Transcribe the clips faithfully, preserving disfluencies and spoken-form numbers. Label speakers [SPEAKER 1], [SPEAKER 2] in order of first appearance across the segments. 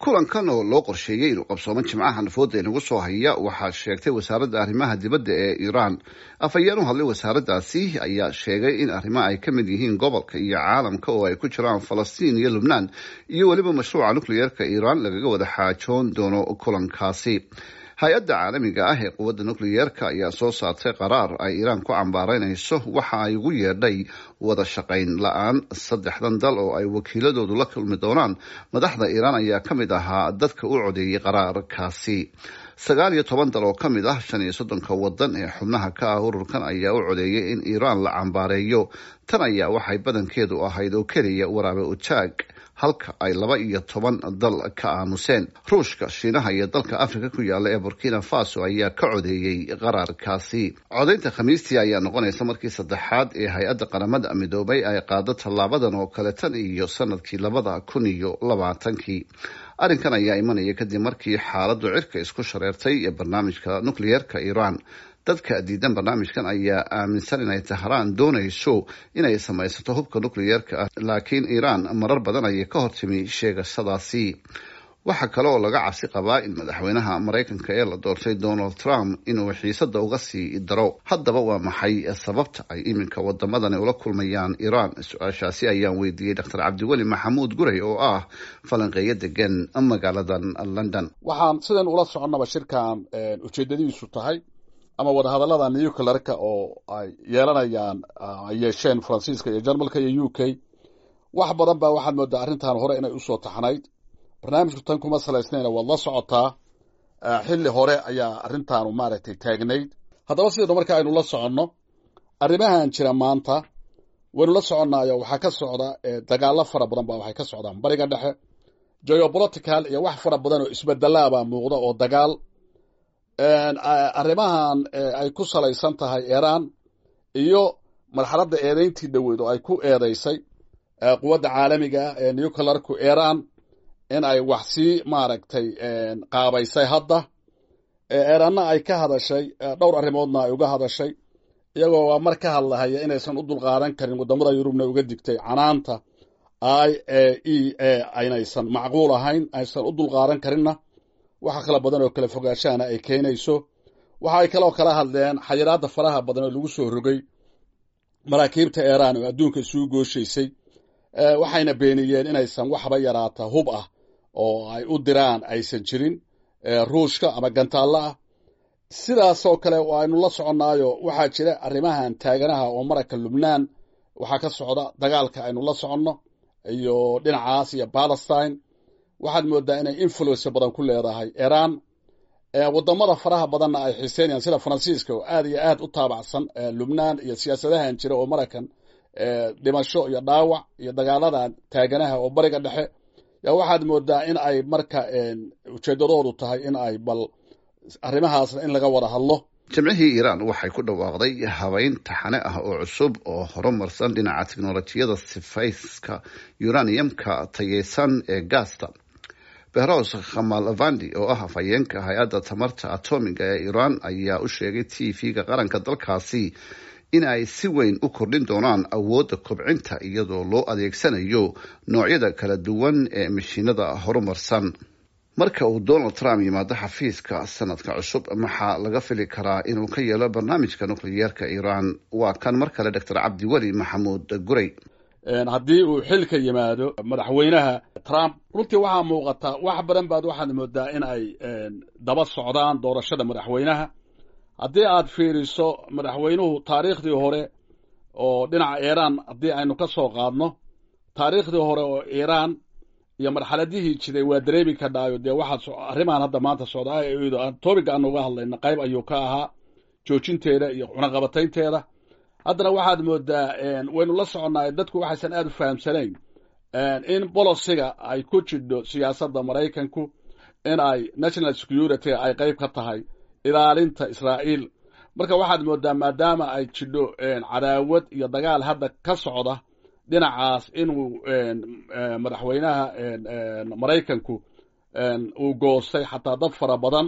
[SPEAKER 1] Kulankan oo loo qorsheeyey inuu qabsoomo Jimcaha nafooda inagu soo haya, waxaa sheegtay wasaaradda arrimaha dibadda ee Iiraan. Afhayeen u hadlay wasaaraddaasi ayaa sheegay in arrimaha ay ka mid yihiin gobolka iyo caalamka, oo ay ku jiraan Falastiin iyo Lubnaan iyo weliba mashruuca nukliyeerka Iiraan, lagaga wada xaajoon doono kulankaasi. Hay-adda caalamiga ah ee quwadda nukliyeerka ayaa soo saartay qaraar ay Iiraan ku cambaareynayso waxa ay ugu yeedhay wada shaqayn la-aan. Saddexdan dal oo ay wakiiladoodu la kulmi doonaan madaxda Iiraan ayaa ka mid ahaa dadka u codeeyey qaraarkaasi. Sagaal iyo toban dal oo ka mid ah shan iyo soddonka wadan ee xubnaha ka ah ururkan ayaa u codeeyay in Iiraan la cambaareeyo. Tan ayaa waxay badankeedu ahayd oo keliya waraabe ujaag, halka ay laba iyo toban dal ka aamuseen. Ruushka, Shiinaha iyo dalka Afrika ku yaala ee Burkina Faso ayaa ka codeeyey qaraarkaasi. Codeynta Khamiistii ayaa noqonaysa markii saddexaad ee hay-adda Qaramada Midoobay ay qaado tallaabadan oo kale tan iyo sanadkii labada kun iyo labaatankii. Arrinkan ayaa imanaya kadib markii xaaladdu cirka isku shareertay ee barnaamijka nukliyeerka Iiraan. Dadka diidan barnaamijkan ayaa aaminsan inay Tahraan doonayso inay samaysato hubka nukliyeerka ah, laakiin Iiraan marar badan ayay ka hortimi sheegashadaasi. Waxaa kale oo laga cabsi qabaa in madaxweynaha Maraykanka ee la doortay, Donald Trump, inuu xiisada uga sii daro. Haddaba waa maxay sababta ay iminka wadamadani ula kulmayaan Iiraan? Su-aashaasi ayaan weydiiyey Doctor Cabdiweli Maxamuud Gurey oo ah falanqeeyo degan magaaladan London.
[SPEAKER 2] Waxaan sidan ula soconnaba, shirkan ujeedadiisu tahay ama wadahadallada nuclearka oo ay yeelanayaan, ay yeesheen Faransiiska iyo Jarmalka iyo U K, wax badan baa waxaad moodaa arrintan hore inay usoo taxnayd. Barnaamijku tan kuma salaysnayna, waad la socotaa, xilli hore ayaa arrintaanu maaragtay taagnayd. Haddaba sidaynu marka aynu la soconno arrimahan jira maanta, waynu la soconnaayo, waxaa ka socda dagaallo fara badan baa waxay ka socdaan Bariga Dhexe. Geopolitical iyo wax fara badan oo isbedelaabaa muuqda oo dagaal arrimahan ay ku salaysan tahay Iiraan iyo marxaladda eedeyntii dhoweyd oo ay ku eedeysay quwadda caalamiga ah ee nuclearku Iiraan in ay wax sii maaragtay qaabaysay. Hadda Iiraanna ay ka hadashay, dhowr arrimoodna ay uga hadashay, iyagoo waa mar ka hadlahaya inaysan u dulqaadan karin, waddamada Yurubna uga digtay canaanta I A E A aynaysan macquul ahayn, aysan u dulqaadan karinna, waxa kala badan oo kala fogaashahana ay keenayso. Waxa ay kaloo kala hadleen xayiraadda faraha badan oo lagu soo rogay maraakiibta Iiraan oo adduunka isugu gooshaysay, waxayna beeniyeen inaysan waxba yaraata hub ah oo ay u diraan aysan jirin Ruushka ama gantaallo ah. Sidaasoo kale aynu la soconnaayo, waxaa jira arrimahan taaganaha oo maragka Lubnaan waxaa ka socda dagaalka aynu la soconno iyo dhinacaas iyo Palestine. Waxaad moodaa inay influence badan ku leedahay Iiraan, wadamada faraha badanna ay xiiseynayaan, sida Faransiiska oo aad iyo aad u taabacsan Lubnaan iyo siyaasadahan jira oo Maraykan dhimasho iyo dhaawac iyo dagaaladan taaganaha oo Bariga Dhexe. Yaa waxaad moodaa in ay marka ujeedadoodu tahay in ay bal arrimahaasna in laga wada hadlo.
[SPEAKER 1] Jimcihii Iiraan waxay ku dhawaaqday habeyn taxane ah oo cusub oo horumarsan dhinaca tiknolojiyada sifayska uraniumka tayeysan ee gaasta. Behrouz Kamalvandi oo ah afhayeenka hay-adda tamarta atomiga ee Iiraan ayaa u sheegay T V-ga qaranka dalkaasi in ay si weyn u kordhin doonaan awoodda kobcinta, iyadoo loo adeegsanayo noocyada kala duwan ee mashiinada horumarsan. Marka uu Donald Trump yimaado xafiiska sanadka cusub, maxaa laga fili karaa inuu ka yeelo barnaamijka nukliyeerka Iiraan? Waa kan mar kale Doctor Cabdiweli Maxamuud Gurey.
[SPEAKER 2] Haddii uu xilka yimaado madaxweynaha Trump, runtii waxaa muuqata wax badan baad waxaad moodaa in ay daba socdaan doorashada madaxweynaha. Haddii aad fiiriso madaxweynuhu taariikhdii hore oo dhinaca Iiraan, haddii aynu ka soo qaadno taariikhdii hore oo Iiraan iyo marxaladihii jiray, waa dareemi kadhaayo dee waxaa arrimahan hadda maanta socda topic-ga aanu uga hadlayna qayb ayuu ka ahaa joojinteeda iyo cunaqabataynteeda. Haddana waxaad moodaa, waynu la soconnaay, dadku waxaysan aada u fahamsanayn in policy-ga ay ku jidho siyaasadda Maraykanku in ay national security ay qayb ka tahay ilaalinta Israa'iil. Marka waxaad moodaa maadaama ay jidho cadaawad iyo dagaal hadda ka socda dhinacaas, inuu madaxweynaha Maraykanku uu goostay xataa dad fara badan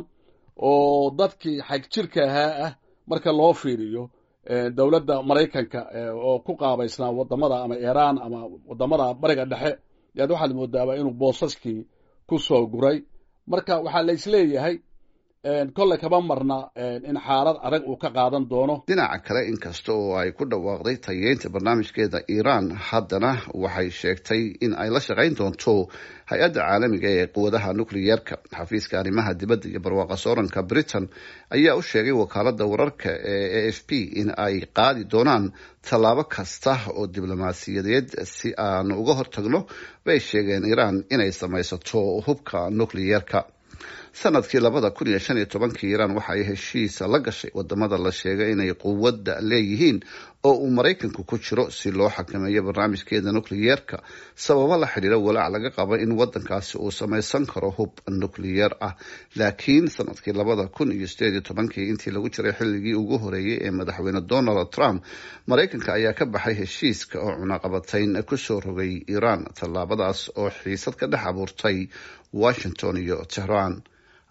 [SPEAKER 2] oo dadkii xagjirka ahaa ah marka loo fiiriyo dowladda Maraykanka oo ku qaabaysnaa wadamada ama Iiraan ama wadamada Bariga Dhexe. Yaad waxaad moodaaba inuu boosaskii ku soo guray. Marka waxaa la isleeyahay kolle kama marna in xaalad adag uu ka qaadan doono.
[SPEAKER 1] Dhinaca kale, inkasta oo ay ku dhawaaqday tayeynta barnaamijkeeda Iiraan, haddana waxay sheegtay in ay la shaqayn doonto hay-adda caalamiga ee quwadaha nukliyeerka. Xafiiska arrimaha dibadda iyo barwaaqa sooranka Britain ayaa u sheegay wakaalada wararka ee A F P in ay qaadi doonaan tallaabo kasta oo diblomaasiyadeed si aan uga hortagno, bay sheegeen, Iiraan inay samaysato hubka nukliyeerka. Sanadkii labada kun iyo shan iyo tobankii Iiraan waxa ay heshiis la gashay wadamada la sheegay inay quwadda leeyihiin oo uu Maraykanku ku jiro si loo xakameeyo barnaamijkeeda nukliyeerka, sababo la xidhiira walaac laga qabo in wadankaasi uu samaysan karo hub nukliyeer ah. Laakiin sanadkii labada kun iyo sideed iyo tobankii, intii lagu jiray xilligii ugu horeeyey ee madaxweyne Donald Trump, Maraykanka ayaa ka baxay heshiiska oo cunaqabatayn kusoo rogay Iiraan, tallaabadaas oo xiisad ka dhex abuurtay Washington iyo Tehran.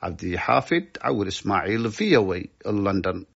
[SPEAKER 1] Cabdixaafid Cawir Ismaaciil, V O A, London.